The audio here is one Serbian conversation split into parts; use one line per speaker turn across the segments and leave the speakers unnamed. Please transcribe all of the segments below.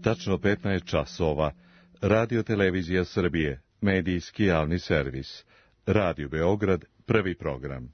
tačno 15 časova, Radio Televizija Srbije, medijski javni servis, Radio Beograd, prvi program.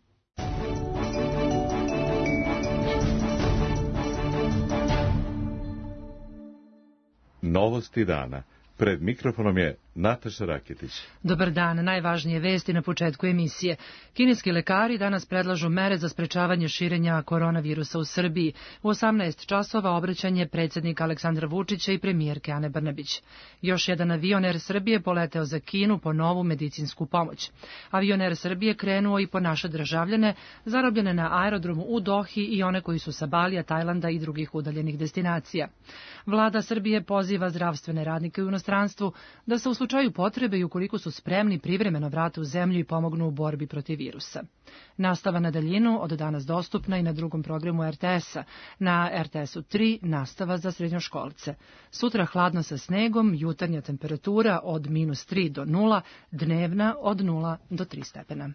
Novosti dana. Pred mikrofonom je Nataša Raketić.
Dobar dan, najvažnije vesti na početku emisije. Kineski lekari danas predlažu mere za sprečavanje širenja koronavirusa u Srbiji. U 18 časova obraćanje predsjednika Aleksandra Vučića i premijerke Ane Brnabić. Još jedan avion Air Srbije poleteo za Kinu po novu medicinsku pomoć. Avion Air Srbije krenuo i po naše državljane, zarobljene na aerodromu u Dohi i one koji su sa Balija, Tajlanda i drugih udaljenih destinacija. Vlada Srbije poziva zdravstvene radnike u inostranstvu da se u slučaju potrebe i ukoliko su spremni privremeno vrate u zemlju i pomognu u borbi protiv virusa. Nastava na daljinu od danas dostupna i na drugom programu RTS-a. Na RTS-u 3 nastava za srednjoškolce. Sutra hladno sa snegom, jutarnja temperatura od -3 do 0, dnevna od 0 do 3 stepena.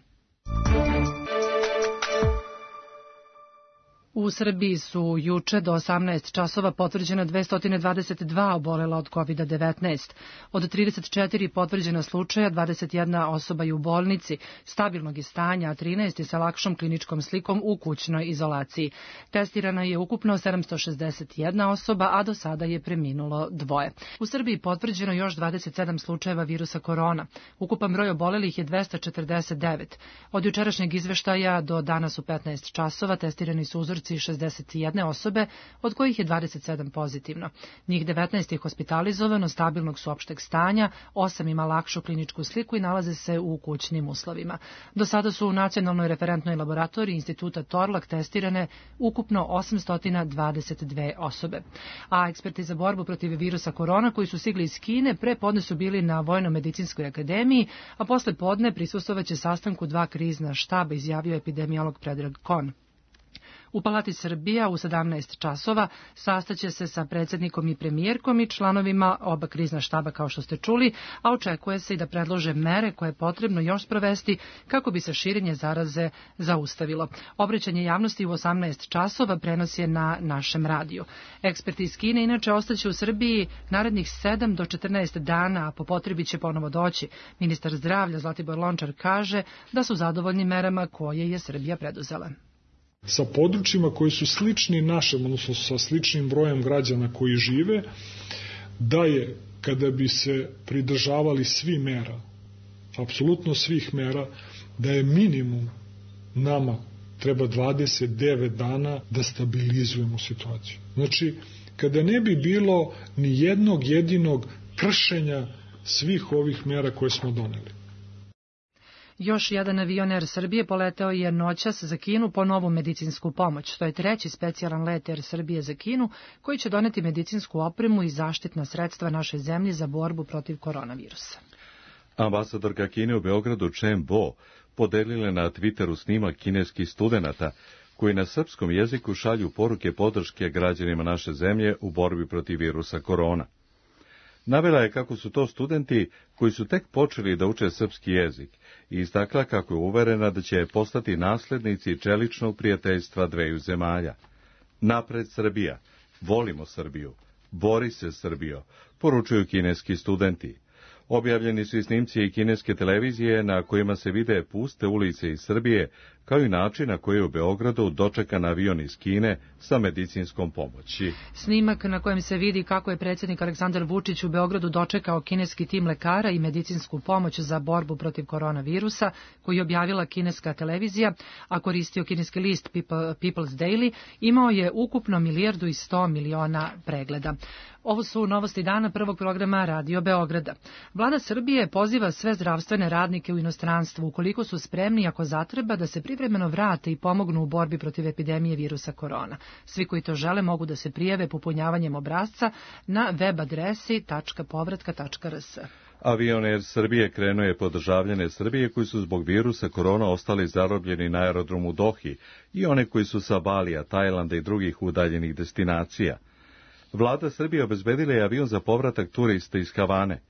U Srbiji su juče do 18 časova potvrđena 222 obolela od COVID-19. Od 34 potvrđena slučaja, 21 osoba je u bolnici, stabilnog je stanja, a 13 je sa lakšom kliničkom slikom u kućnoj izolaciji. Testirana je ukupno 761 osoba, a do sada je preminulo 2. U Srbiji potvrđeno još 27 slučajeva virusa korona. Ukupan broj obolelih je 249. Od jučerašnjeg izveštaja do danas u 15 časova testirani su uzorci 61 osobe, od kojih je 27 pozitivno. Njih 19 je hospitalizovano, stabilnog su opšteg stanja, 8 ima lakšu kliničku sliku i nalaze se u kućnim uslovima. Do sada su u Nacionalnoj referentnoj laboratoriji Instituta Torlak testirane ukupno 822 osobe. A eksperti za borbu protiv virusa korona koji su stigli iz Kine pre podne su bili na Vojno-medicinskoj akademiji, a posle podne prisustvovaće sastanku 2 krizna štaba, izjavio epidemiolog Predrag Kon. U Palati Srbija u 17 časova sastaće se sa predsjednikom i premijerkom i članovima oba krizna štaba, kao što ste čuli, a očekuje se i da predlože mere koje je potrebno još sprovesti kako bi se širenje zaraze zaustavilo. Obraćanje javnosti u 18 časova prenos je na našem radiju. Eksperti iz Kine inače ostaće u Srbiji narednih 7 do 14 dana, a po potrebi će ponovo doći. Ministar zdravlja Zlatibor Lončar kaže da su zadovoljni merama koje je Srbija preduzela.
Sa područjima koji su slični našem, odnosno sa sličnim brojem građana koji žive, da je, kada bi se pridržavali svi mera, apsolutno svih mera, da je minimum nama treba 29 dana da stabilizujemo situaciju. Znači, kada ne bi bilo ni jednog jedinog kršenja svih ovih mera koje smo doneli.
Još jedan avion Air Srbije poleteo je noćas za Kinu po novu medicinsku pomoć. To je 3. specijalan let Air Srbije za Kinu koji će doneti medicinsku opremu i zaštitna sredstva našoj zemlji za borbu protiv koronavirusa.
Ambasadorka Kine u Beogradu Chen Bo podelila na Twitteru snimak kineskih studenata koji na srpskom jeziku šalju poruke podrške građanima naše zemlje u borbi protiv virusa korona. Navela je kako su to studenti koji su tek počeli da uče srpski jezik i istakla kako je uverena da će postati naslednici čeličnog prijateljstva dveju zemalja. Napred Srbija, volimo Srbiju, bori se Srbijo, poručuju kineski studenti. Objavljeni su i snimci i kineske televizije na kojima se vide puste ulice iz Srbije, kao i način na koji je u Beogradu dočekan avion iz Kine sa medicinskom pomoći.
Snimak na kojem se vidi kako je predsjednik Aleksandar Vučić u Beogradu dočekao kineski tim lekara i medicinsku pomoć za borbu protiv koronavirusa, koji je objavila kineska televizija, a koristio kineski list People's Daily, imao je ukupno 1.100.000.000 pregleda. Ovo su novosti dana prvog programa Radio Beograda. Vlada Srbije poziva sve zdravstvene radnike u inostranstvu, ukoliko su spremni ako zatreba, da se privremeno vrate i pomognu u borbi protiv epidemije virusa korona. Svi koji to žele mogu da se prijave popunjavanjem obrasca na web adresi .povratka.rs.
Avion Air Srbije krenuo je po državljane Srbije koji su zbog virusa korona ostali zarobljeni na aerodromu Dohi i one koji su sa Balija, Tajlanda i drugih udaljenih destinacija. Vlada Srbije obezbedila je avion za povratak turista iz Havane.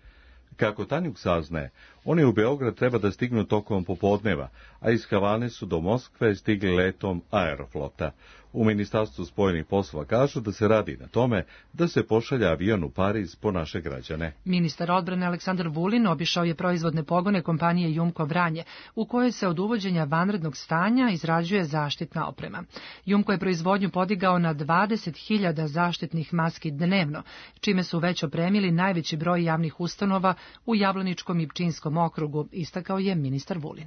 Kako Tanjuk saznaje, Oni u Beograd treba da stignu tokom popodneva, a iz Havane su do Moskve stigli letom Aeroflota. U Ministarstvu spojenih poslova kažu da se radi na tome da se pošalje avion u Pariz po naše građane.
Ministar odbrane Aleksandar Vulin obišao je proizvodne pogone kompanije Jumko Vranje, u kojoj se od uvođenja vanrednog stanja izrađuje zaštitna oprema. Jumko je proizvodnju podigao na 20.000 zaštitnih maski dnevno, čime su već opremili najveći broj javnih ustanova u Jablaničkom i Pčinjskom okrugu, istakao je ministar Vulin.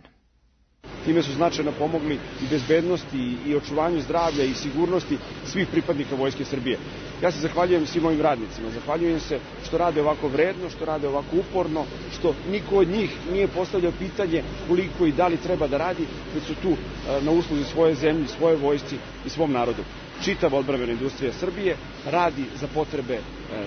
Time su značajno pomogli i bezbednosti i očuvanju zdravlja i sigurnosti svih pripadnika Vojske Srbije. Ja se zahvaljujem svim mojim radnicima, zahvaljujem se što rade ovako vredno, što rade ovako uporno, što niko od njih nije postavljao pitanje koliko i da li treba da radi, već su tu na usluzi svoje zemlje, svoje vojsci i svom narodu. Čitava odbrambena industrija Srbije radi za potrebe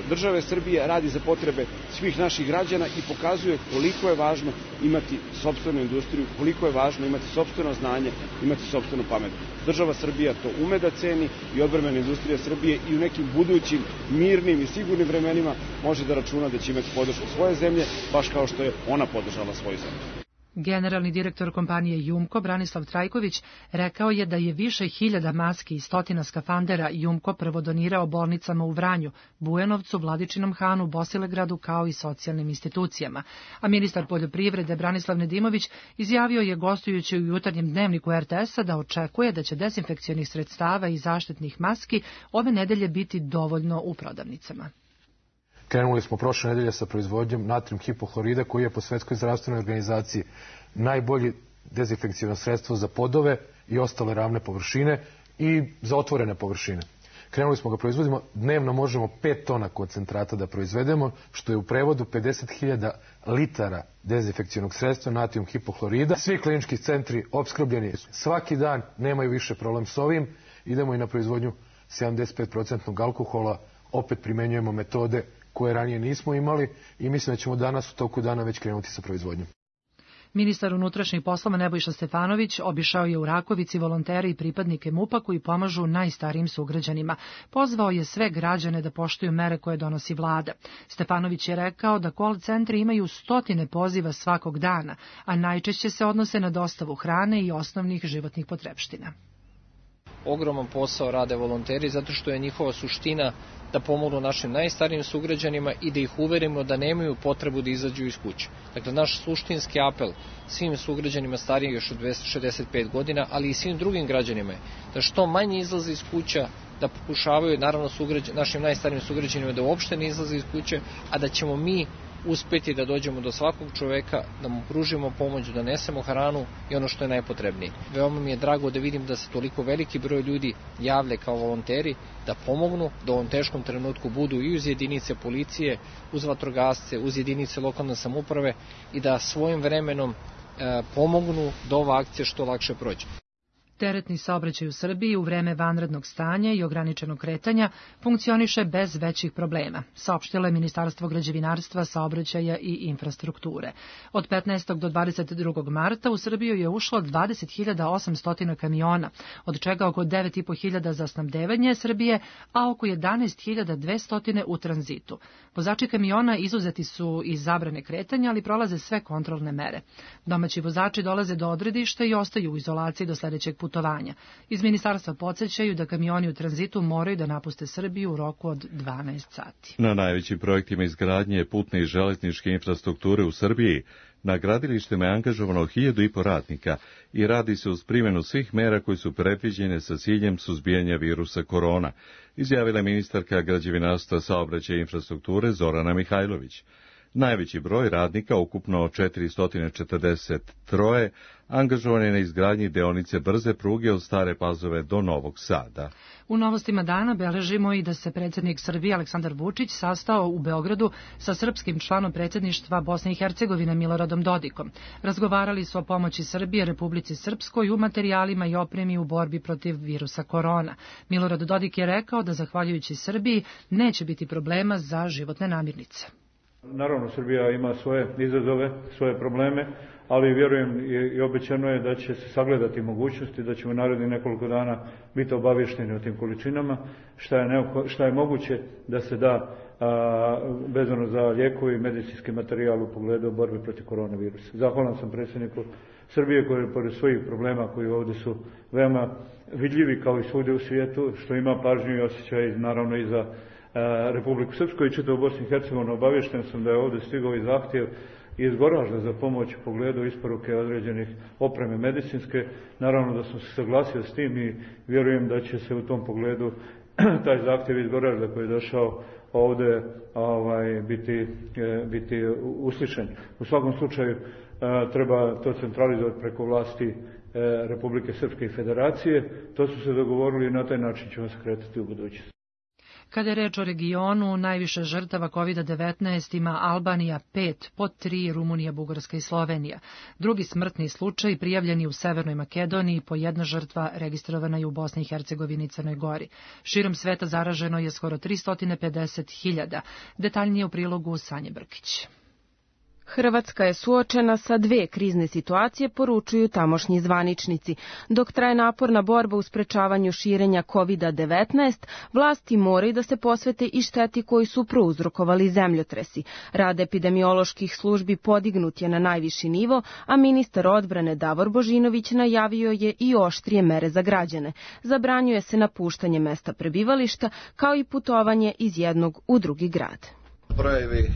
države Srbije, radi za potrebe svih naših građana i pokazuje koliko je važno imati sopstvenu industriju, koliko je važno imati sopstveno znanje, imati sopstvenu pamet. Država Srbija to ume da ceni i odbrambena industrija Srbije i u nekim budućim mirnim i sigurnim vremenima može da računa da će imati podršku svoje zemlje, baš kao što je ona podržala svoju zemlju.
Generalni direktor kompanije Jumko, Branislav Trajković, rekao je da je više hiljada maski i stotina skafandera Jumko prvo donirao bolnicama u Vranju, Bujanovcu, Vladičinom Hanu, Bosilegradu kao i socijalnim institucijama. A ministar poljoprivrede Branislav Nedimović izjavio je gostujući u jutarnjem dnevniku RTS-a da očekuje da će dezinfekcionih sredstava i zaštitnih maski ove nedelje biti dovoljno u prodavnicama.
Krenuli smo prošle nedelje sa proizvodnjom natrijum hipohlorida, koji je po Svetskoj zdravstvenoj organizaciji najbolji dezinfekcijno sredstvo za podove i ostale ravne površine i za otvorene površine. Krenuli smo ga proizvodimo, dnevno možemo 5 tona koncentrata da proizvedemo, što je u prevodu 50.000 litara dezinfekcijnog sredstva natrijum hipohlorida. Svi klinički centri opskrbljeni svaki dan, nemaju više problem s ovim. Idemo i na proizvodnju 75% alkohola, opet primenjujemo metode koje ranije nismo imali i mislim da ćemo danas u toku dana već krenuti sa proizvodnjom.
Ministar unutrašnjih poslova Nebojša Stefanović obišao je u Rakovici volontere i pripadnike MUP-a koji pomažu najstarijim sugrađanima. Pozvao je sve građane da poštuju mere koje donosi vlada. Stefanović je rekao da call centri imaju stotine poziva svakog dana, a najčešće se odnose na dostavu hrane i osnovnih životnih potrepština.
Ogroman posao rade volonteri zato što je njihova suština da pomognu našim najstarijim sugrađanima i da ih uverimo da nemaju potrebu da izađu iz kuće. Dakle, naš suštinski apel svim sugrađanima starijih još od 265 godina, ali i svim drugim građanima je da što manje izlaze iz kuća, da pokušavaju, naravno, našim najstarijim sugrađanima da uopšte ne izlaze iz kuće, a da ćemo mi uspeti da dođemo do svakog čoveka, da mu pružimo pomoć, da nesemo hranu i ono što je najpotrebnije. Veoma mi je drago da vidim da se toliko veliki broj ljudi javlja kao volonteri, da pomognu, da u ovom teškom trenutku budu i uz jedinice policije, uz vatrogasce, uz jedinice lokalne samouprave i da svojim vremenom pomognu da ova akcija što lakše prođe.
Teretni saobraćaj u Srbiji u vreme vanrednog stanja i ograničenog kretanja funkcioniše bez većih problema, saopštilo je Ministarstvo građevinarstva, saobraćaja i infrastrukture. Od 15. do 22. marta u Srbiju je ušlo 20.800 kamiona, od čega oko 9.500 za snabdevanje Srbije, a oko 11.200 u tranzitu. Vozači kamiona izuzeti su iz zabrane kretanja, ali prolaze sve kontrolne mere. Domaći vozači dolaze do odredišta i ostaju u izolaciji do sledećeg putovanja. Iz ministarstva podsjećaju da kamioni u tranzitu moraju da napuste Srbiju u roku od 12 sati.
Na najvećim projektima izgradnje putne i železničke infrastrukture u Srbiji na gradilištima je angažovano 1.500 radnika i radi se uz primjenu svih mera koji su predviđene sa ciljem suzbijanja virusa korona, izjavila ministarka građevinarstva, saobraćaja i infrastrukture Zorana Mihajlović. Najveći broj radnika, ukupno 443, angažovan je na izgradnji deonice brze pruge od Stare Pazove do Novog Sada.
U novostima dana beležimo i da se predsjednik Srbije Aleksandar Vučić sastao u Beogradu sa srpskim članom predsjedništva Bosne i Hercegovine Miloradom Dodikom. Razgovarali su o pomoći Srbije Republici Srpskoj u materijalima i opremi u borbi protiv virusa korona. Milorad Dodik je rekao da zahvaljujući Srbiji neće biti problema za životne namirnice.
Naravno, Srbija ima svoje izazove, svoje probleme, ali vjerujem i obećano je da će se sagledati mogućnosti, da ćemo narednih nekoliko dana biti obavješteni o tim količinama, šta je moguće da se da vezano za lijekove i medicinski materijal u pogledu borbe protiv koronavirusa. Zahvalan sam predsjedniku Srbije koji pored svojih problema koji ovdje su veoma vidljivi kao i svugdje u svijetu, što ima pažnju i osjećaj naravno i za Republiku Srpsku i čitavu Bosnu i Hercegovinu. Obavješten sam da je ovdje stigao i zahtjev iz Goražda za pomoć u pogledu isporuke određenih opreme medicinske. Naravno da sam se saglasio s tim i vjerujem da će se u tom pogledu taj zahtjev iz Goražda koji je došao ovdje biti uslišen. U svakom slučaju treba to centralizovati preko vlasti Republike Srpske i Federacije. To su se dogovorili i na taj način ćemo se kretati u budućnosti.
Kada je reč o regionu, najviše žrtava COVID-19 ima Albanija 5, pod 3 Rumunija, Bugarska i Slovenija. Drugi smrtni slučaj prijavljeni u Severnoj Makedoniji, po 1 žrtva registrovana je u Bosni i Hercegovini i Crnoj Gori. Širom sveta zaraženo je skoro 350.000. Detaljnije u prilogu Sanje Brkić.
Hrvatska je suočena sa 2 krizne situacije, poručuju tamošnji zvaničnici. Dok traje naporna borba u sprečavanju širenja COVID-19, vlasti moraju da se posvete i šteti koji su prouzrokovali zemljotresi. Rad epidemioloških službi podignut je na najviši nivo, a ministar odbrane Davor Božinović najavio je i oštrije mere za građane. Zabranjuje se napuštanje mesta prebivališta, kao i putovanje iz jednog u drugi grad.
Brojevi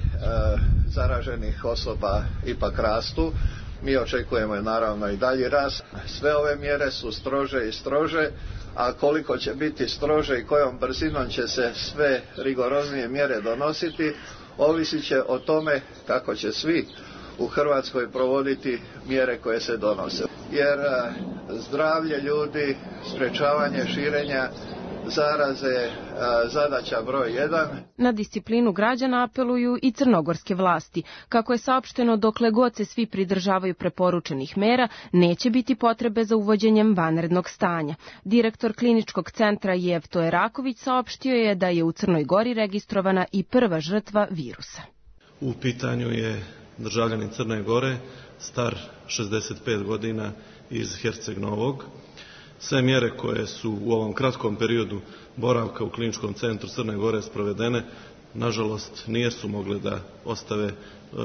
zaraženih osoba ipak rastu. Mi očekujemo naravno i dalji rast. Sve ove mjere su strože i strože, a koliko će biti strože i kojom brzinom će se sve rigoroznije mjere donositi, ovisit će o tome kako će svi u Hrvatskoj provoditi mjere koje se donose. Jer zdravlje ljudi, sprečavanje širenja zaraze zadaća broj 1.
Na disciplinu građana apeluju i crnogorske vlasti. Kako je saopšteno, dokle god se svi pridržavaju preporučenih mera, neće biti potrebe za uvođenjem vanrednog stanja. Direktor kliničkog centra Jevto Eraković saopštio je da je u Crnoj Gori registrovana i prva žrtva virusa.
U pitanju je državljanin Crne Gore, star 65 godina iz Herceg Novog. Sve mjere koje su u ovom kratkom periodu boravka u kliničkom centru Crne Gore sprovedene, nažalost, nisu mogle da ostave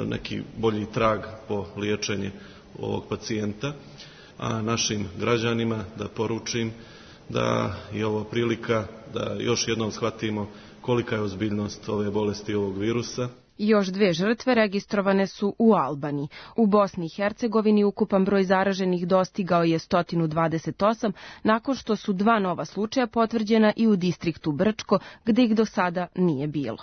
neki bolji trag po liječenje ovog pacijenta, a našim građanima da poručim da je ovo prilika da još jednom shvatimo kolika je ozbiljnost ove bolesti, ovog virusa.
Još 2 žrtve registrovane su u Albaniji. U Bosni i Hercegovini ukupan broj zaraženih dostigao je 128, nakon što su 2 nova slučaja potvrđena i u distriktu Brčko, gde ih do sada nije bilo.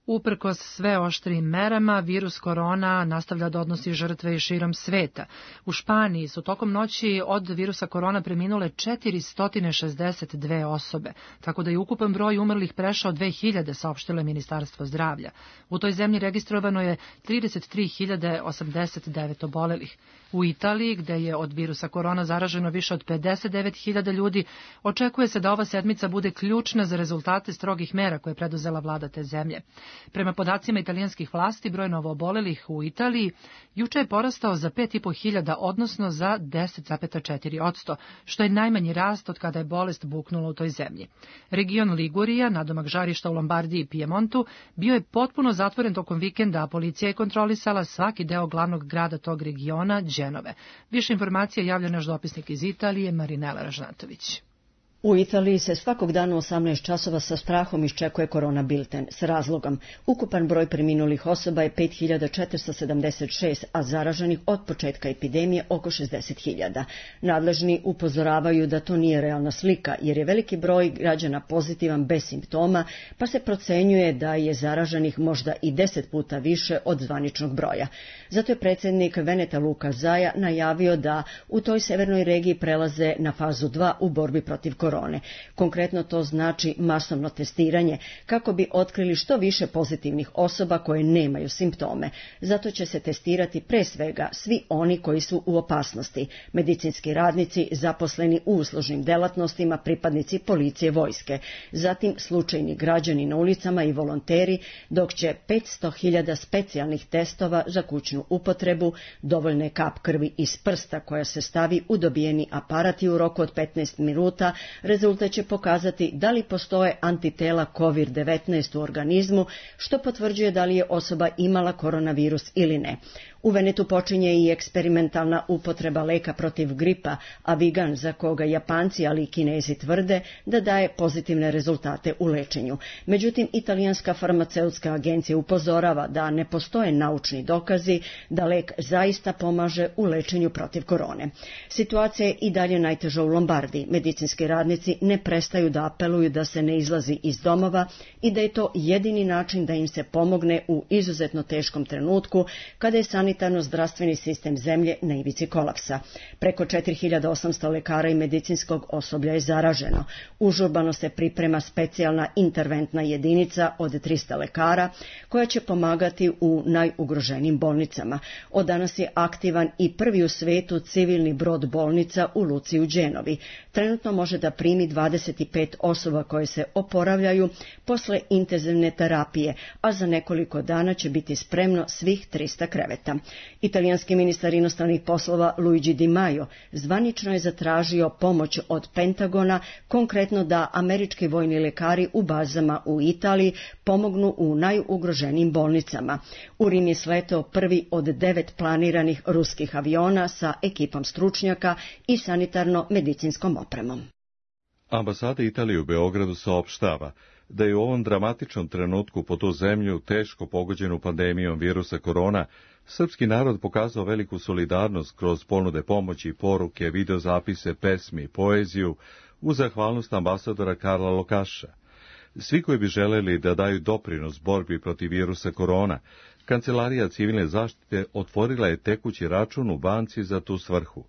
Uprkos sve oštrijim merama, virus korona nastavlja da odnosi žrtve i širom sveta. U Španiji su tokom noći od virusa korona preminule 462 osobe, tako da je ukupan broj umrlih prešao 2000, saopštilo je Ministarstvo zdravlja. U toj zemlji registrovano je 33.089 obolelih. U Italiji, gde je od virusa korona zaraženo više od 59.000 ljudi, očekuje se da ova sedmica bude ključna za rezultate strogih mera koje je preduzela vlada te zemlje. Prema podacima italijanskih vlasti, broj novoobolelih u Italiji juče je porastao za 5.500, odnosno za 10,4%, što je najmanji rast od kada je bolest buknula u toj zemlji. Region Ligurija, nadomak žarišta u Lombardiji i Pijemontu, bio je potpuno zatvoren tokom vikenda, a policija je kontrolisala svaki deo glavnog grada tog regiona, Dženove. Više informacija javlja naš dopisnik iz Italije, Marinela Ražnatović.
U Italiji se svakog dana u 18 časova sa strahom iščekuje korona bilten. S razlogom, ukupan broj preminulih osoba je 5.476, a zaraženih od početka epidemije oko 60.000. Nadležni upozoravaju da to nije realna slika, jer je veliki broj građana pozitivan bez simptoma, pa se procenjuje da je zaraženih možda i 10 puta više od zvaničnog broja. Zato je predsjednik Veneta Luka Zaja najavio da u toj severnoj regiji prelaze na fazu 2 u borbi protiv korona. korone. Konkretno to znači masovno testiranje kako bi otkrili što više pozitivnih osoba koje nemaju simptome. Zato će se testirati pre svega svi oni koji su u opasnosti, medicinski radnici, zaposleni u uslužnim delatnostima, pripadnici policije, vojske, zatim slučajni građani na ulicama i volonteri, dok će 500.000 specijalnih testova za kućnu upotrebu, dovoljna je kap krvi iz prsta koja se stavi u dobijeni aparat i u roku od 15 minuta rezultat će pokazati da li postoje antitela COVID-19 u organizmu, što potvrđuje da li je osoba imala koronavirus ili ne. U Venetu počinje i eksperimentalna upotreba leka protiv gripa, Avigan, za koga Japanci, ali i Kinezi tvrde da daje pozitivne rezultate u lečenju. Međutim, italijanska farmaceutska agencija upozorava da ne postoje naučni dokazi da lek zaista pomaže u lečenju protiv korone. Situacija je i dalje najteža u Lombardiji. Medicinski radnici ne prestaju da apeluju da se ne izlazi iz domova i da je to jedini način da im se pomogne u izuzetno teškom trenutku kada je sanitarno-zdravstveni sistem zemlje na ivici kolapsa. Preko 4800 lekara i medicinskog osoblja je zaraženo. Užurbano se priprema specijalna interventna jedinica od 300 lekara koja će pomagati u najugroženijim bolnicama. Od danas je aktivan i prvi u svetu civilni brod bolnica u luci u Genovi. Trenutno može da primi 25 osoba koje se oporavljaju posle intenzivne terapije, a za nekoliko dana će biti spremno svih 300 kreveta. Italijanski ministar inostranih poslova Luigi Di Maio zvanično je zatražio pomoć od Pentagona, konkretno da američki vojni lekari u bazama u Italiji pomognu u najugroženijim bolnicama. U Rim je sletao prvi od 9 planiranih ruskih aviona sa ekipom stručnjaka i sanitarno-medicinskom opremom.
Ambasada Italije u Beogradu saopštava da je u ovom dramatičnom trenutku po tu zemlju, teško pogođenu pandemijom virusa korona, srpski narod pokazao veliku solidarnost kroz ponude pomoći, poruke, videozapise, pesmi i poeziju u zahvalnost ambasadora Karla Lokaša. Svi koji bi želeli da daju doprinos borbi protiv virusa korona, Kancelarija civilne zaštite otvorila je tekući račun u banci za tu svrhu.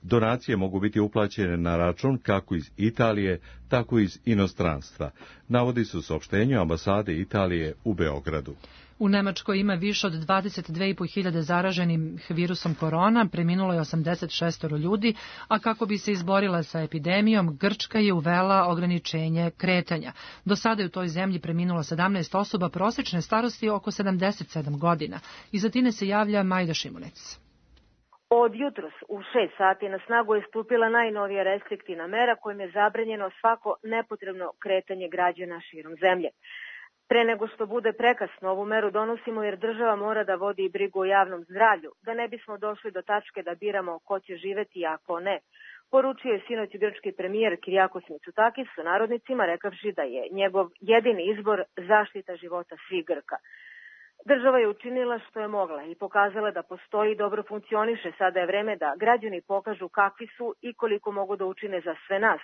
Donacije mogu biti uplaćene na račun kako iz Italije, tako i iz inostranstva, navodi se u saopštenju ambasade Italije u Beogradu.
U Nemačkoj ima više od 22.500 zaraženih virusom korona, preminulo je 86 ljudi, a kako bi se izborila sa epidemijom, Grčka je uvela ograničenje kretanja. Do sada je u toj zemlji preminulo 17 osoba prosečne starosti oko 77 godina. Iz Atine se javlja Majda Šimunec.
Od jutros u 6 sati na snagu je stupila najnovija restriktivna mera kojim je zabranjeno svako nepotrebno kretanje građana širom zemlje. Pre nego što bude prekasno, ovu meru donosimo jer država mora da vodi brigu o javnom zdravlju, da ne bismo došli do tačke da biramo ko će živeti, a ko ne. Poručio je sinoć grčki premijer Kyriakos Mitsotakis sa narodnicima rekavši da je njegov jedini izbor zaštita života svih Grka. Država je učinila što je mogla i pokazala da postoji i dobro funkcioniše. Sada je vreme da građani pokažu kakvi su i koliko mogu da učine za sve nas,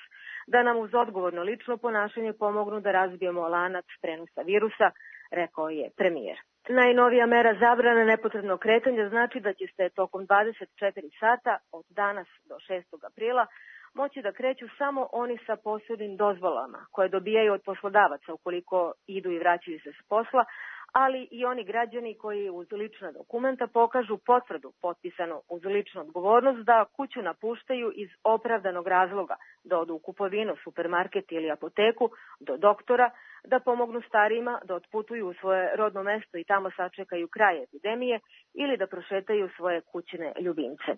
da nam uz odgovorno lično ponašanje pomognu da razbijemo lanac prenosa virusa, rekao je premijer. Najnovija mera zabrane nepotrebnog kretanja znači da će se tokom 24 sata od danas do 6. aprila moći da kreću samo oni sa posebnim dozvolama koje dobijaju od poslodavaca ukoliko idu i vraćaju se s posla, ali i oni građani koji uz lična dokumenta pokažu potvrdu potpisanu uz ličnu odgovornost da kuću napuštaju iz opravdanog razloga, da odu u kupovinu, supermarket ili apoteku, do doktora, da pomognu starijima, da otputuju u svoje rodno mesto i tamo sačekaju kraj epidemije ili da prošetaju svoje kućne ljubimce.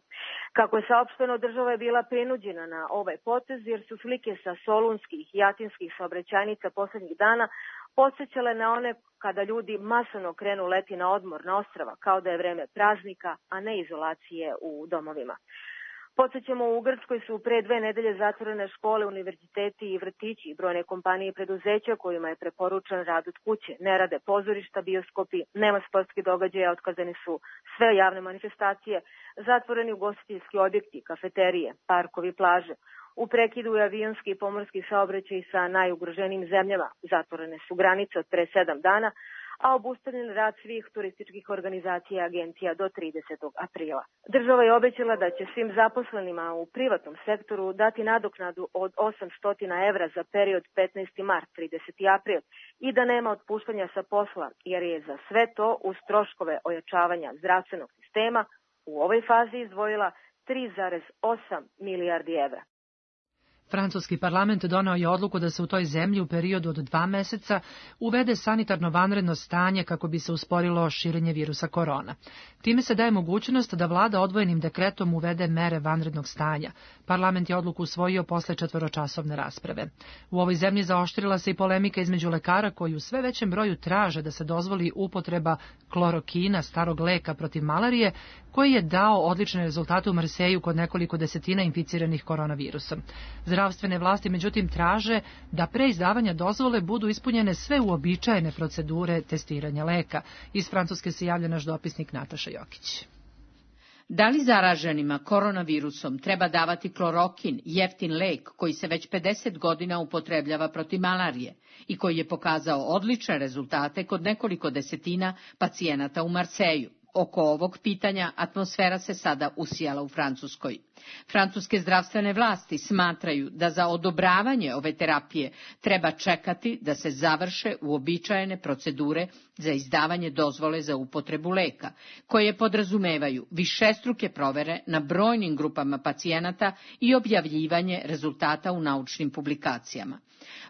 Kako je saopšteno, država je bila prinuđena na ovaj potez jer su slike sa solunskih i atinskih saobraćajnica poslednjih dana podsjećale na one kada ljudi masovno krenu leti na odmor na ostrava, kao da je vreme praznika, a ne izolacije u domovima. Podsjećamo, u Grčkoj su pre 2 nedelje zatvorene škole, univerziteti i vrtići i brojne kompanije i preduzeća kojima je preporučen rad od kuće. Ne rade pozorišta, bioskopi, nema sportskih događaja, otkazane su sve javne manifestacije, zatvoreni ugostiteljski objekti, kafeterije, parkovi, plaže. U prekidu je avionski i pomorski saobraćaj sa najugroženijim zemljama. Zatvorene su granice od pre 7 dana, a obustavljen rad svih turističkih organizacija i agencija do 30. aprila. Država je obećala da će svim zaposlenima u privatnom sektoru dati nadoknadu od 800 evra za period 15. mart 30. april i da nema otpuštanja sa posla, jer je za sve to uz troškove ojačavanja zdravstvenog sistema u ovoj fazi izdvojila 3,8 milijardi evra.
Francuski parlament doneo je odluku da se u toj zemlji u periodu od 2 meseca uvede sanitarno vanredno stanje kako bi se usporilo širenje virusa korona. Time se daje mogućnost da vlada odvojenim dekretom uvede mere vanrednog stanja. Parlament je odluku usvojio posle 4-časovne rasprave. U ovoj zemlji zaoštrila se i polemika između lekara koji u sve većem broju traže da se dozvoli upotreba klorokina, starog leka protiv malarije, koji je dao odlične rezultate u Marseju kod nekoliko desetina inficiranih koronavirusom. Zdravstvene vlasti međutim traže da pre izdavanja dozvole budu ispunjene sve uobičajene procedure testiranja leka. Iz Francuske se javlja naš dopisnik Nataša Jokić.
Da li zaraženima koronavirusom treba davati klorokin, jeftin lek koji se već 50 godina upotrebljava protiv malarije i koji je pokazao odlične rezultate kod nekoliko desetina pacijenata u Marseju? Oko ovog pitanja atmosfera se sada usijala u Francuskoj. Francuske zdravstvene vlasti smatraju da za odobravanje ove terapije treba čekati da se završe uobičajene procedure za izdavanje dozvole za upotrebu leka, koje podrazumevaju višestruke provere na brojnim grupama pacijenata i objavljivanje rezultata u naučnim publikacijama.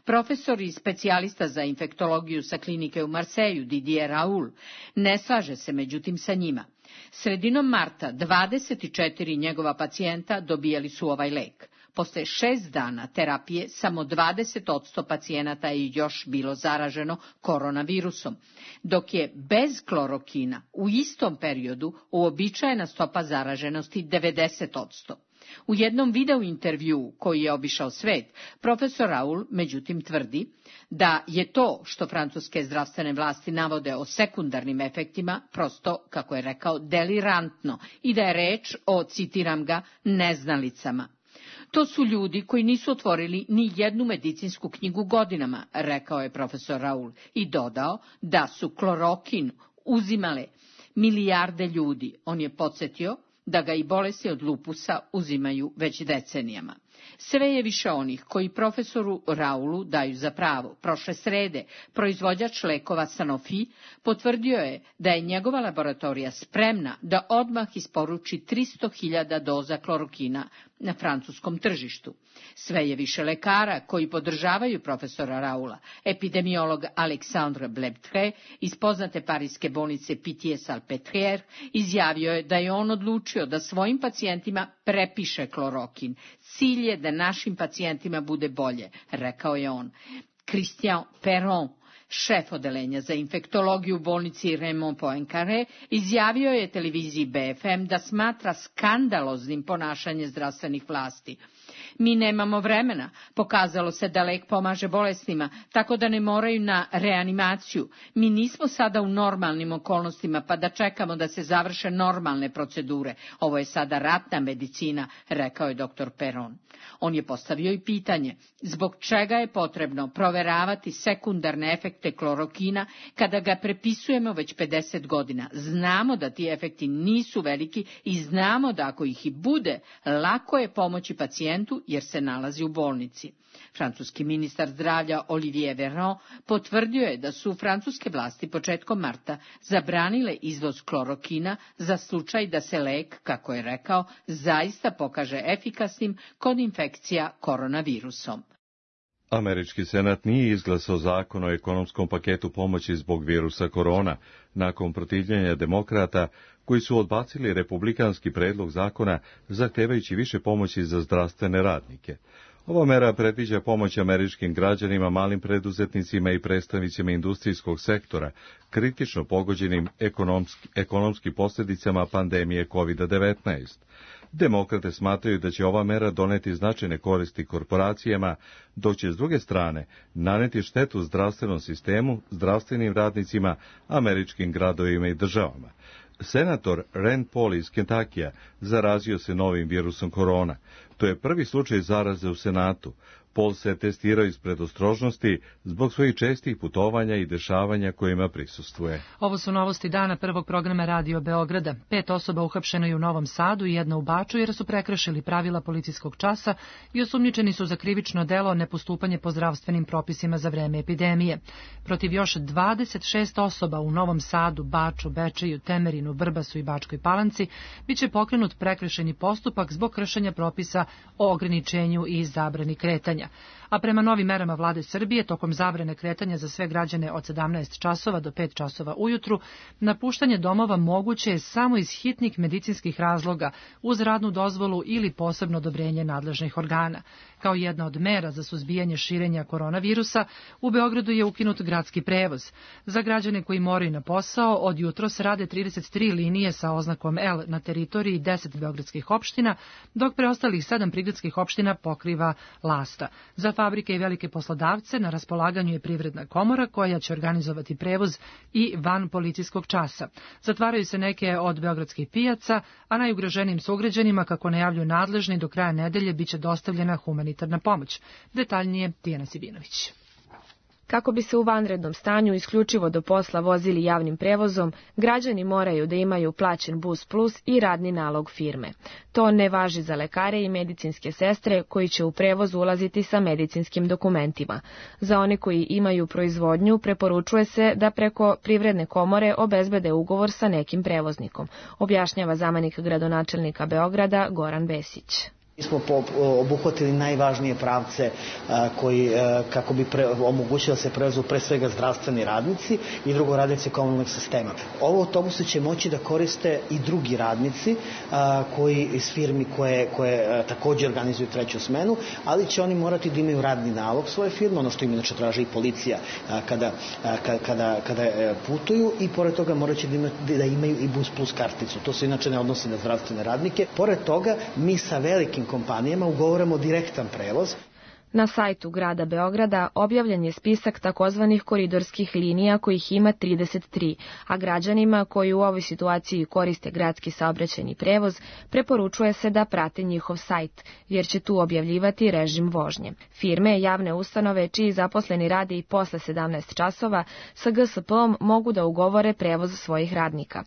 Profesor i specijalista za infektologiju sa klinike u Marseju, Didier Raoul, ne slaže se međutim sa njima. Sredinom marta 24 njegova pacijenta dobijali su ovaj lek. Posle 6 dana terapije samo 20% pacijenata je još bilo zaraženo koronavirusom, dok je bez klorokina u istom periodu uobičajena stopa zaraženosti 90%. U jednom video intervjuu koji je obišao svet, profesor Raoul međutim tvrdi da je to što francuske zdravstvene vlasti navode o sekundarnim efektima prosto, kako je rekao, delirantno i da je reč o, citiram ga, neznalicama. To su ljudi koji nisu otvorili ni jednu medicinsku knjigu godinama, rekao je profesor Raoul i dodao da su klorokin uzimale milijarde ljudi. On je podsjetio da ga i bolesti od lupusa uzimaju već decenijama. Sve je više onih koji profesoru Raoulu daju za pravo. Prošle srede proizvođač lekova Sanofi potvrdio je da je njegova laboratorija spremna da odmah isporuči 300.000 doza klorokina na francuskom tržištu. Sve je više lekara koji podržavaju profesora Raoula. Epidemiolog Alexandre Blebtre iz poznate parijske bolnice Pitié-Salpêtrière izjavio je da je on odlučio da svojim pacijentima prepiše klorokin. Cilj je da našim pacijentima bude bolje, rekao je on. Christian Perron, šef odelenja za infektologiju u bolnici Raymond Poincaré, izjavio je televiziji BFM da smatra skandaloznim ponašanje zdravstvenih vlasti. Mi nemamo vremena, pokazalo se da lek pomaže bolesnima, tako da ne moraju na reanimaciju. Mi nismo sada u normalnim okolnostima, pa da čekamo da se završe normalne procedure. Ovo je sada ratna medicina, rekao je dr. Perron. On je postavio i pitanje, zbog čega je potrebno proveravati sekundarne efekte klorokina kada ga prepisujemo već 50 godina. Znamo da ti efekti nisu veliki i znamo da ako ih i bude, lako je pomoći pacijentu jer se nalazi u bolnici. Francuski ministar zdravlja Olivier Véran potvrdio je da su francuske vlasti početkom marta zabranile izvoz klorokina za slučaj da se lek, kako je rekao, zaista pokaže efikasnim kod infekcija koronavirusom.
Američki senat nije izglasao zakon o ekonomskom paketu pomoći zbog virusa korona, nakon protivljenja demokrata koji su odbacili republikanski predlog zakona zahtevajući više pomoći za zdravstvene radnike. Ova mera predviđa pomoć američkim građanima, malim preduzetnicima i predstavnicima industrijskog sektora, kritično pogođenim ekonomski posljedicama pandemije COVID-19. Demokrate smatraju da će ova mera doneti značajne koristi korporacijama, dok će s druge strane naneti štetu zdravstvenom sistemu, zdravstvenim radnicima, američkim gradovima i državama. Senator Rand Paul iz Kentakija zarazio se novim virusom korona. To je prvi slučaj zaraze u Senatu. Pol se testirao iz predostrožnosti zbog svojih čestih putovanja i dešavanja kojima prisustvuje.
Ovo su novosti dana prvog programa Radio Beograda. 5 osoba uhapšeno je u Novom Sadu i 1 u Baču jer su prekršili pravila policijskog časa i osumnjičeni su za krivično delo nepostupanje po zdravstvenim propisima za vreme epidemije. Protiv još 26 osoba u Novom Sadu, Baču, Bečeju, Temerinu, Vrbasu i Bačkoj Palanci biće pokrenut prekršajni postupak zbog kršenja propisa o ograničenju i zabrani kretanja. A prema novim merama vlade Srbije, tokom zabrane kretanja za sve građane od 17 časova do 5 časova ujutru, napuštanje domova moguće je samo iz hitnih medicinskih razloga, uz radnu dozvolu ili posebno odobrenje nadležnih organa. Kao jedna od mera za suzbijanje širenja koronavirusa, u Beogradu je ukinut gradski prevoz. Za građane koji moraju na posao, od jutros rade 33 linije sa oznakom L na teritoriji 10 beogradskih opština, dok preostalih 7 prigradskih opština pokriva Lasta. Za fabrike i velike poslodavce na raspolaganju je Privredna komora koja će organizovati prevoz i van policijskog časa. Zatvaraju se neke od beogradskih pijaca, a najugroženijim sugrađanima, kako najavljuju nadležni, do kraja nedelje biće dostavljena humanitarna pomoć. Detaljnije Tijana Sibinović.
Kako bi se u vanrednom stanju isključivo do posla vozili javnim prevozom, građani moraju da imaju plaćen Bus Plus i radni nalog firme. To ne važi za lekare i medicinske sestre koji će u prevoz ulaziti sa medicinskim dokumentima. Za one koji imaju proizvodnju preporučuje se da preko Privredne komore obezbede ugovor sa nekim prevoznikom, objašnjava zamenik gradonačelnika Beograda Goran Vesić.
Mi smo obuhvatili najvažnije pravce koji, kako bi omogućili da se prevezu pre svega zdravstveni radnici i drugo radnici komunalnog sistema. Ovo autobuse će moći da koriste i drugi radnici koji iz firmi koje također organizuju treću smenu, ali će oni morati da imaju radni nalog svoje firme, ono što im inače traži i policija kada putuju, i pored toga moraće da imaju i Bus Plus karticu. To se inače ne odnosi na zdravstvene radnike. Pored toga, mi sa velikim kompanijama ugovaramo direktan prevoz.
Na sajtu grada Beograda objavljen je spisak takozvanih koridorskih linija kojih ima 33, a građanima koji u ovoj situaciji koriste gradski saobraćajni prevoz preporučuje se da prate njihov sajt, jer će tu objavljivati režim vožnje. Firme, javne ustanove čiji zaposleni rade i posle 17 časova sa GSP-om mogu da ugovore prevoz svojih radnika.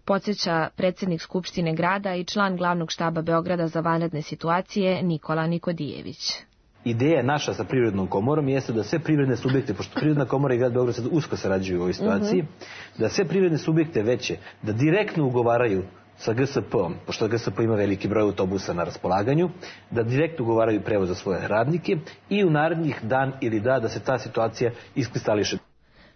Podsjeća predsjednik Skupštine grada i član glavnog štaba Beograda za vanredne situacije Nikola Nikodijević.
Ideja naša sa Privrednom komorom jeste da sve privredne subjekte, pošto Privredna komora i grad Beograd sad usko sarađuju u ovoj situaciji, da sve privredne subjekte veće, da direktno ugovaraju sa GSP-om, pošto GSP ima veliki broj autobusa na raspolaganju, da direktno ugovaraju prevoz za svoje radnike i u narednih dan ili da se ta situacija iskristališe.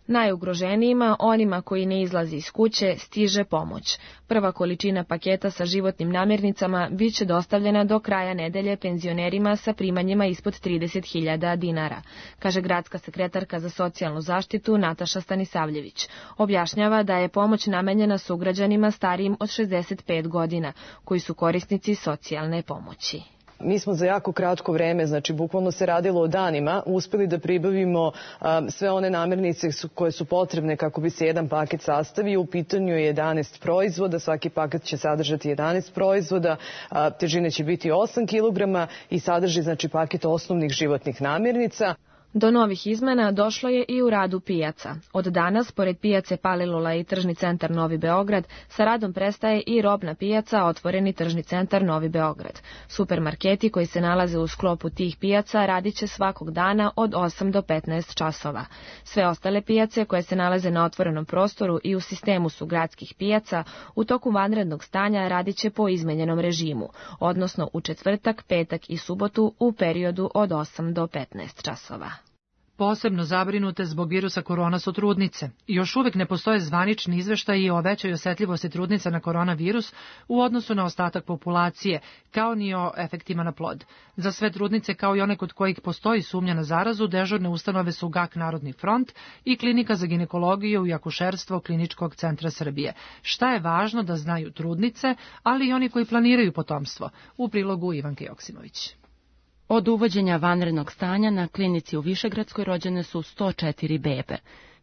Najugroženijima, onima koji ne izlazi iz kuće, stiže pomoć. Prva količina paketa sa životnim namirnicama bit će dostavljena do kraja nedelje penzionerima sa primanjima ispod 30.000 dinara, kaže gradska sekretarka za socijalnu zaštitu Nataša Stanisavljević. Objašnjava da je pomoć namenjena sugrađanima starijim od 65 godina, koji su korisnici socijalne pomoći.
Mi smo za jako kratko vreme, znači bukvalno se radilo o danima, uspeli da pribavimo sve one namirnice koje su potrebne kako bi se jedan paket sastavio. U pitanju je 11 proizvoda, svaki paket će sadržati 11 proizvoda, težine će biti 8 kg i sadrži znači paket osnovnih životnih namirnica.
Do novih izmena došlo je i u radu pijaca. Od danas, pored pijace Palilula i tržni centar Novi Beograd, sa radom prestaje i robna pijaca, otvoreni tržni centar Novi Beograd. Supermarketi koji se nalaze u sklopu tih pijaca radit će svakog dana od 8 do 15 časova. Sve ostale pijace koje se nalaze na otvorenom prostoru i u sistemu su gradskih pijaca, u toku vanrednog stanja radit će po izmenjenom režimu, odnosno u četvrtak, petak i subotu u periodu od 8 do 15 časova.
Posebno zabrinute zbog virusa korona su trudnice. Još uvek ne postoje zvanični izveštaji o većoj osetljivosti trudnica na koronavirus u odnosu na ostatak populacije, kao ni o efektima na plod. Za sve trudnice, kao i one kod kojih postoji sumnja na zarazu, dežurne ustanove su GAK Narodni front i Klinika za ginekologiju i akušerstvo Kliničkog centra Srbije. Šta je važno da znaju trudnice, ali i oni koji planiraju potomstvo? U prilogu Ivanke Joksimović.
Od uvođenja vanrednog stanja na klinici u Višegradskoj rođene su 104 bebe.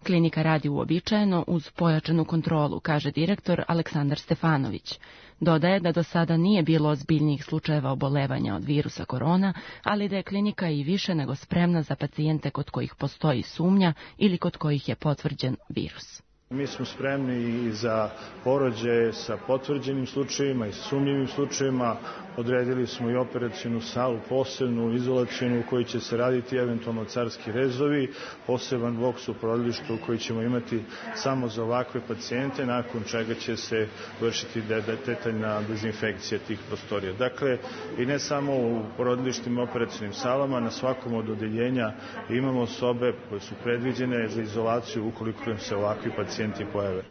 Klinika radi uobičajeno uz pojačanu kontrolu, kaže direktor Aleksandar Stefanović. Dodaje da do sada nije bilo ozbiljnijih slučajeva obolevanja od virusa korona, ali da je klinika i više nego spremna za pacijente kod kojih postoji sumnja ili kod kojih je potvrđen virus.
Mi smo spremni i za porođaje sa potvrđenim slučajevima i sumnjivim slučajevima. Odredili smo i operacionu salu, posebnu, izolacionu u kojoj će se raditi eventualno carski rezovi, poseban boks u porodilištu koji ćemo imati samo za ovakve pacijente, nakon čega će se vršiti detaljna dezinfekcija tih prostorija. Dakle, i ne samo u porodilištima i operacionim salama, na svakom od odeljenja imamo sobe koje su predviđene za izolaciju ukoliko im se ovakvi pacijenti pojave.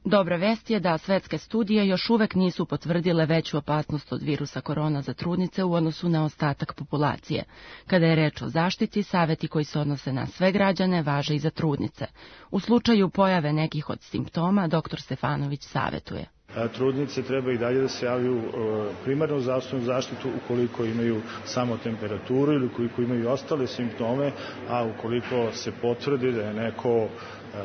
Dobra vest je da svetske studije još uvek nisu potvrdile veću opasnost od virusa korona za trudnice u odnosu na ostatak populacije. Kada je reč o zaštiti, saveti koji se odnose na sve građane važe i za trudnice. U slučaju pojave nekih od simptoma, dr. Stefanović savetuje.
Trudnice treba i dalje da se javljaju primarnu zdravstvenu zaštitu ukoliko imaju samo temperaturu ili ukoliko imaju ostale simptome, a ukoliko se potvrdi da je neko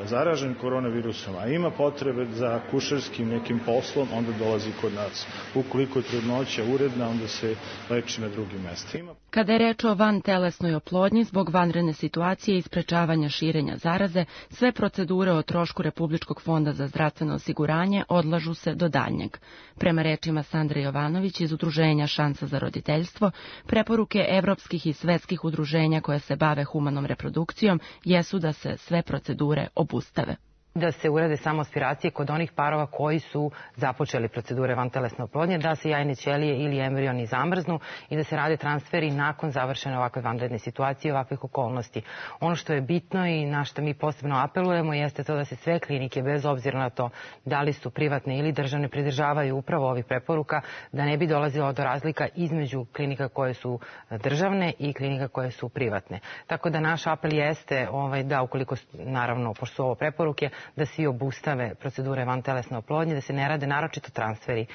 zaražen koronavirusom, a ima potrebe za kušarskim nekim poslom, onda dolazi kod nas. Ukoliko je trudnoća uredna, onda se leči na drugim mestima.
Kada je reč o vantelesnoj oplodnji, zbog vanredne situacije i sprečavanja širenja zaraze, sve procedure o trošku Republičkog fonda za zdravstveno osiguranje odlažu se do daljnjeg. Prema rečima Sandre Jovanović iz Udruženja Šansa za roditeljstvo, preporuke evropskih i svetskih udruženja koja se bave humanom reprodukcijom jesu da se sve procedure obustave.
Da se urade samo aspiracije kod onih parova koji su započeli procedure vantelesne oplodnje, da se jajne ćelije ili embrioni zamrznu i da se rade transferi nakon završene ovakve vanredne situacije i ovakvih okolnosti. Ono što je bitno i na što mi posebno apelujemo jeste to da se sve klinike, bez obzira na to da li su privatne ili državne, pridržavaju upravo ovih preporuka, da ne bi dolazilo do razlika između klinika koje su državne i klinika koje su privatne. Tako da naš apel jeste da ukoliko, naravno, pošto su ovo preporuke, da svi obustave procedure vantelesne oplodnje, da se ne rade naročito transferi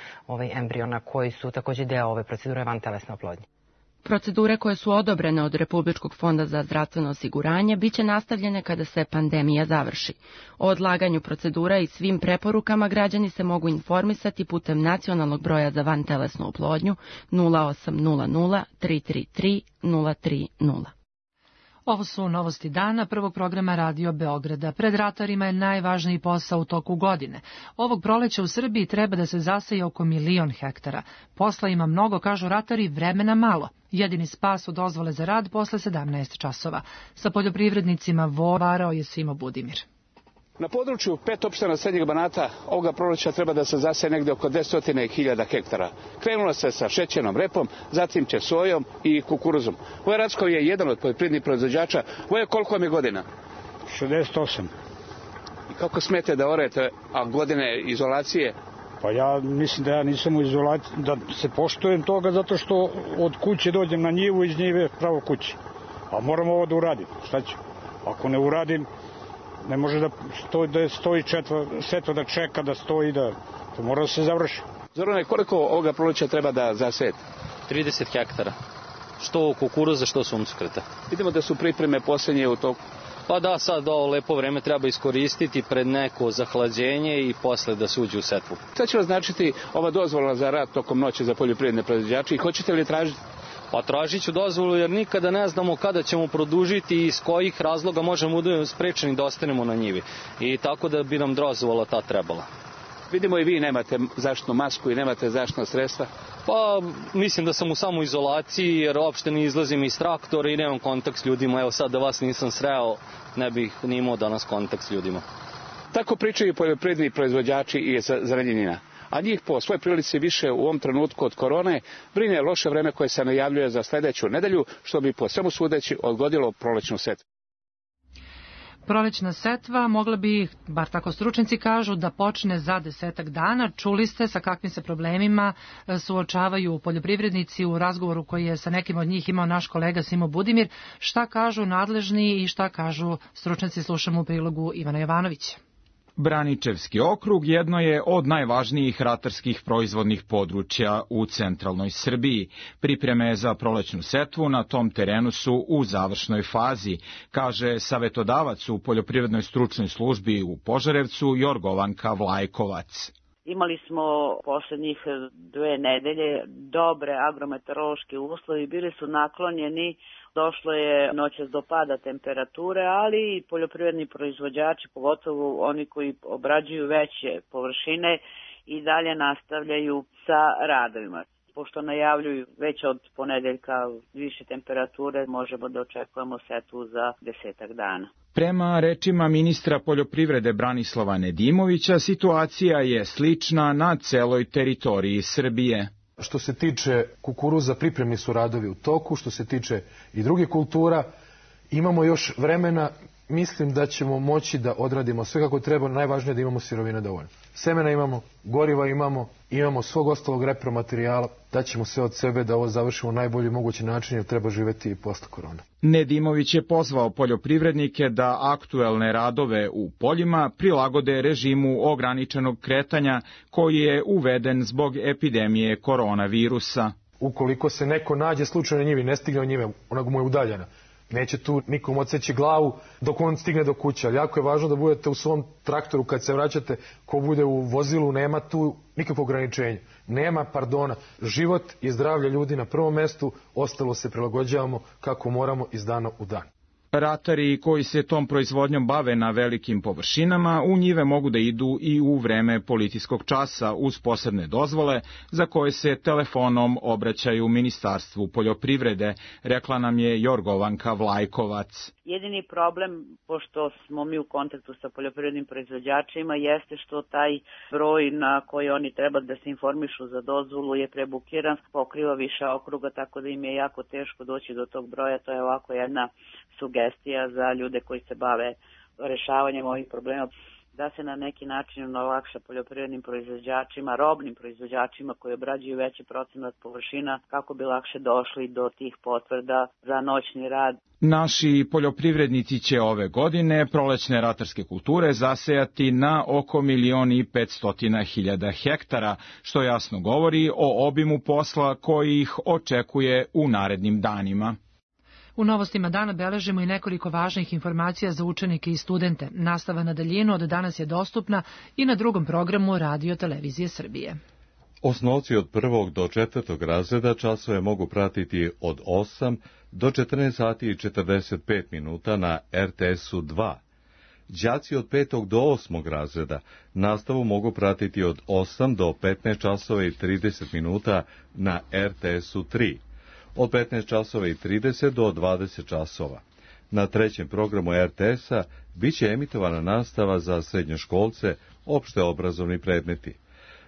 embriona koji su takođe deo ove procedure vantelesne oplodnje.
Procedure koje su odobrene od Republičkog fonda za zdravstveno osiguranje biće nastavljene kada se pandemija završi. O odlaganju procedura i svim preporukama građani se mogu informisati putem nacionalnog broja za vantelesnu oplodnju 0800 333 030.
Ovo su novosti dana prvog programa Radio Beograda. Pred ratarima je najvažniji posao u toku godine. Ovog proleća u Srbiji treba da se zaseje oko 1.000.000 hektara. Posla ima mnogo, kažu ratari, vremena malo. Jedini spas od dozvole za rad posle 17 časova. Sa poljoprivrednicima varao je Simo Budimir.
Na području 5 opština Srednjeg Banata ovoga proleća treba da se zaseje negde oko 10.000 hektara. Krenulo se sa šećernom repom, zatim će sojom i kukuruzom. Voja Rackov je jedan od poljoprivrednih proizvođača. Voja, koliko vam je godina?
68.
I kako smete da orete, a godine izolacije?
Pa ja mislim da ja nisam u izolaciji, da se poštujem toga zato što od kuće dođem na njivu, iz njive pravo kući. A moram ovo da uradim. Šta ću? Ako ne uradim, ne može da stoji setva da čeka, da stoji, da to mora da se završi.
Zorane, koliko ovoga proleća treba da zasejete?
30 hektara. Što kukuruza, što suncokreta.
Vidimo da su pripreme posljednje u toku.
Pa da, sad ovo lepo vreme treba iskoristiti pred neko zahlađenje i posle da se uđe u setvu.
Šta će vas značiti ova dozvola za rad tokom noći za poljoprivredne proizvođače i hoćete li tražiti?
Pa tražit ću dozvolu jer nikada ne znamo kada ćemo produžiti i iz kojih razloga možemo da sprečeni da ostanemo na njivi. I tako da bi nam dozvola ta trebala.
Vidimo i vi nemate zaštitnu masku i nemate zaštitna sredstva.
Pa mislim da sam u samoizolaciji jer uopšte ne izlazim iz traktora i nemam kontakt s ljudima. Evo sad da vas nisam sreo, ne bih ni imao danas kontakt s ljudima.
Tako pričaju poljoprivredni proizvođači iz Zrenjanina. A njih po svoj prilici više u ovom trenutku od korone brine loše vreme koje se najavljuje za sledeću nedelju, što bi po svemu sudeći odgodilo prolećnu setvu.
Prolećna setva mogla bi, bar tako stručnjaci kažu, da počne za 10 dana. Čuli ste sa kakvim se problemima suočavaju poljoprivrednici u razgovoru koji je sa nekim od njih imao naš kolega Simo Budimir. Šta kažu nadležni i šta kažu stručnjaci, slušamo u prilogu Ivana Jovanovića.
Braničevski okrug jedno je od najvažnijih ratarskih proizvodnih područja u centralnoj Srbiji. Pripreme za prolećnu setvu na tom terenu su u završnoj fazi, kaže savetodavac u Poljoprivrednoj stručnoj službi u Požarevcu Jorgovanka Vlajkovac.
Imali smo poslednjih 2 nedelje dobre agrometeorološke uslovi, bili su naklonjeni, došlo je noćas do pada temperature, ali i poljoprivredni proizvođači, pogotovo oni koji obrađuju veće površine, i dalje nastavljaju sa radovima. Pošto najavljuju već od ponedeljka više temperature, možemo da očekujemo setvu za 10 dana.
Prema rečima ministra poljoprivrede Branislava Nedimovića, situacija je slična na celoj teritoriji Srbije.
Što se tiče kukuruza, pripremni su radovi u toku, što se tiče i drugih kultura, imamo još vremena, mislim da ćemo moći da odradimo sve kako treba, najvažnije da imamo sirovine dovoljno. Semena imamo, goriva imamo svog ostalog repromaterijala, daćemo sve od sebe da ovo završimo na najbolji mogući način jer treba živeti i posle korona.
Nedimović je pozvao poljoprivrednike da aktuelne radove u poljima prilagode režimu ograničenog kretanja koji je uveden zbog epidemije koronavirusa.
Ukoliko se neko nađe slučajno na njivi, ne stigne od njive, ona mu je udaljena, neće tu nikom odseći glavu dok on stigne do kuće, ali jako je važno da budete u svom traktoru kad se vraćate, ko bude u vozilu, nema tu nikakvog ograničenja, nema pardona, život i zdravlje ljudi na prvom mestu, ostalo se prilagođavamo kako moramo iz dana u dan.
Ratari koji se tom proizvodnjom bave na velikim površinama u njive mogu da idu i u vreme policijskog časa uz posebne dozvole za koje se telefonom obraćaju Ministarstvu poljoprivrede, rekla nam je Jorgovanka Vlajkovac.
Jedini problem, pošto smo mi u kontaktu sa poljoprivrednim proizvođačima, jeste što taj broj na koji oni treba da se informišu za dozvolu je prebukiran, pokriva više okruga, tako da im je jako teško doći do tog broja. To je ovako jedna sugestija za ljude koji se bave rešavanjem ovih problema, da se na neki način olakša poljoprivrednim proizvođačima, robnim proizvođačima koji obrađuju veći procenat površina, kako bi lakše došli do tih potvrda za noćni rad.
Naši poljoprivrednici će ove godine prolećne ratarske kulture zasejati na oko 1.500.000 hektara, što jasno govori o obimu posla koji ih očekuje u narednim danima.
U novostima dana beležimo i nekoliko važnih informacija za učenike i studente. Nastava na daljinu od danas je dostupna i na drugom programu Radio Televizije Srbije.
Osnovci od 1. do 4. razreda časove mogu pratiti od 8 do 14 sati i 45 minuta na RTS-u 2. Đaci od 5. do 8. razreda nastavu mogu pratiti od 8 do 15 časova i 30 minuta na RTS-u 3. Od 15 časova i 30 do 20 časova. Na trećem programu RTS-a biće emitovana nastava za srednjoškolce, opšte obrazovni predmeti.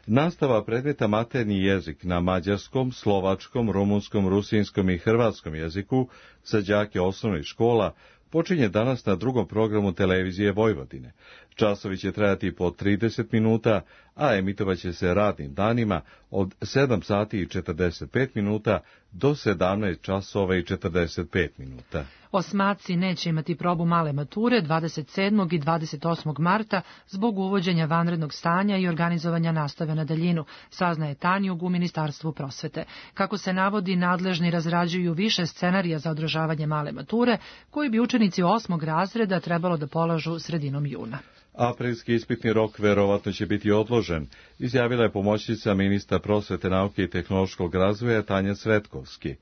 Nastava predmeta maternji jezik na mađarskom, slovačkom, rumunskom, rusinskom i hrvatskom jeziku za đake osnovnih škola počinje danas na drugom programu Televizije Vojvodine. Časovi će trajati po 30 minuta, a emitovaće se radnim danima od 7 sati i 45 minuta do 17 časova i 45 minuta.
Osmaci neće imati probu male mature 27. i 28. marta zbog uvođenja vanrednog stanja i organizovanja nastave na daljinu, saznaje Tanjug u Ministarstvu prosvete. Kako se navodi, nadležni razrađuju više scenarija za održavanje male mature, koji bi učenici 8. razreda trebalo da polažu sredinom juna.
Aprilski ispitni rok verovatno će biti odložen, izjavila je pomoćnica ministra prosvete, nauke i tehnološkog razvoja Tanja Cvetkovski.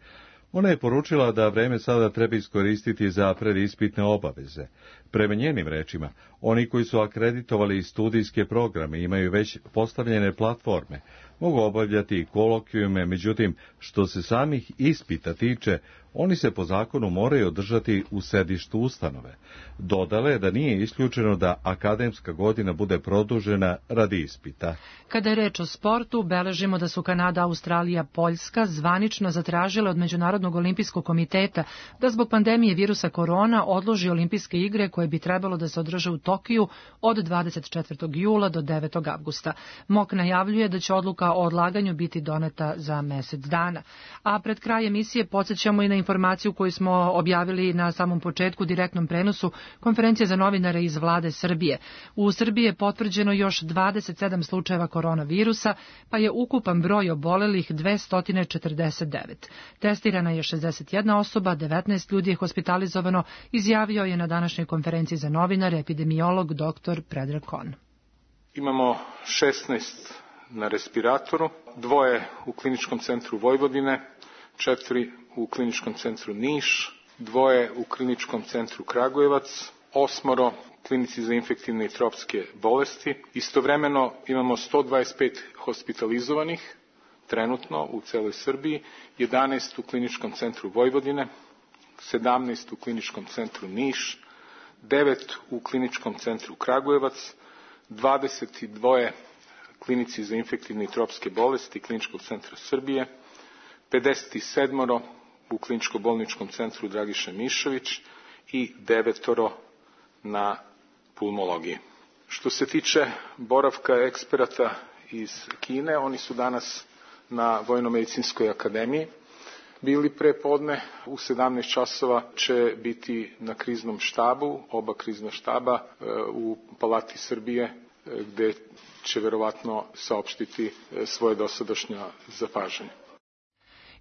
Ona je poručila da vreme sada treba iskoristiti za predispitne obaveze. Prema njenim rečima, oni koji su akreditovali studijske programe i imaju već postavljene platforme, mogu obavljati i kolokvijume, međutim, što se samih ispita tiče, oni se po zakonu moraju održati u sedištu ustanove. Dodala je da nije isključeno da akademska godina bude produžena radi ispita.
Kada je reč o sportu, beležimo da su Kanada, Australija, Poljska zvanično zatražile od Međunarodnog olimpijskog komiteta da zbog pandemije virusa korona odloži olimpijske igre koje bi trebalo da se održe u Tokiju od 24. jula do 9. avgusta. MOK najavljuje da će odluka odluka o odlaganju biti doneta za mesec dana. A pred kraj emisije podsjećamo i na informaciju koju smo objavili na samom početku direktnom prenosu konferencije za novinare iz vlade Srbije. U Srbiji je potvrđeno još 27 slučajeva koronavirusa, pa je ukupan broj obolelih 249. Testirana je 61 osoba, 19 ljudi je hospitalizovano, izjavio je na današnjoj konferenciji za novinare epidemiolog dr. Predrag Kon.
Imamo 16 na respiratoru, 2 u kliničkom centru Vojvodine, 4 u kliničkom centru Niš, 2 u kliničkom centru Kragujevac, 8 klinici za infektivne i tropske bolesti. Istovremeno imamo 125 hospitalizovanih trenutno u celoj Srbiji, 11 u kliničkom centru Vojvodine, 17 u kliničkom centru Niš, 9 u kliničkom centru Kragujevac, 22 klinici za infektivne i tropske bolesti kliničkog centra Srbije, 57 u kliničko-bolničkom centru Dragiša Mišović i 9 na pulmologiji. Što se tiče boravka eksperata iz Kine, oni su danas na Vojno-medicinskoj akademiji bili pre podne. U 17 časova će biti na kriznom štabu, oba krizna štaba u Palati Srbije, gde će verovatno saopštiti svoje dosadašnja zapažanja.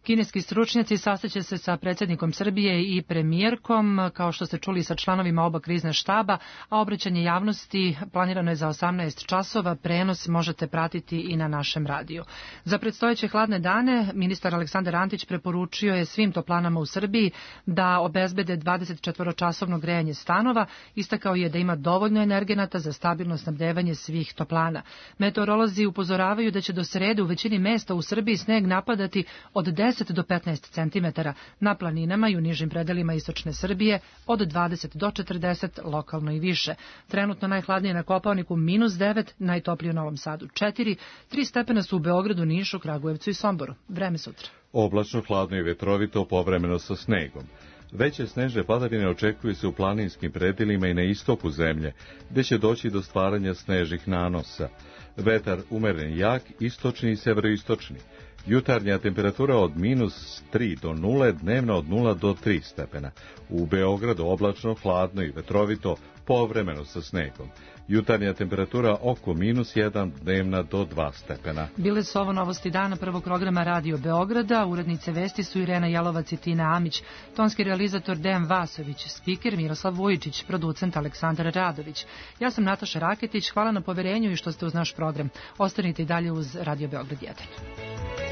Kineski stručnjaci sastaće se sa predsjednikom Srbije i premijerkom, kao što ste čuli, sa članovima oba krizna štaba, a obraćanje javnosti planirano je za 18 časova. Prenos možete pratiti i na našem radiju. Za predstojeće hladne dane ministar Aleksandar Antić preporučio je svim toplanama u Srbiji da obezbede 24-časovno grejanje stanova. Istakao je da ima dovoljno energenata za stabilno snabdevanje svih toplana. Meteorolozi upozoravaju da će do srede u većini mesta u Srbiji sneg napadati od 10 do 15 cm, na planinama i u nižim predelima istočne Srbije od 20 do 40, lokalno i više. Trenutno najhladnije na Kopaoniku -9, najtoplije u Novom Sadu 4, 3 stepena su u Beogradu, Nišu, Kragujevcu i Somboru. Vreme sutra.
Oblačno, hladno i vetrovito, povremeno sa snegom. Veće snežne padavine očekuju se u planinskim predelima i na istoku zemlje, gde će doći do stvaranja snežnih nanosa. Vetar umeren jak, istočni i severoistočni. Jutarnja temperatura od -3 do 0, dnevno od 0 do 3 stepena. U Beogradu oblačno, hladno i vetrovito, povremeno sa snegom. Jutarnja temperatura oko -1, dnevna do 2 stepena.
Bile su ovo novosti dana prvog programa Radio Beograda. Urednice vesti su Irena Jelovac i Tina Amić, tonski realizator Dejan Vasović, spiker Miroslav Vujičić, producent Aleksandar Radović. Ja sam Nataša Raketić, hvala na poverenju i što ste uz naš program. Ostanite i dalje uz Radio Beograd 1.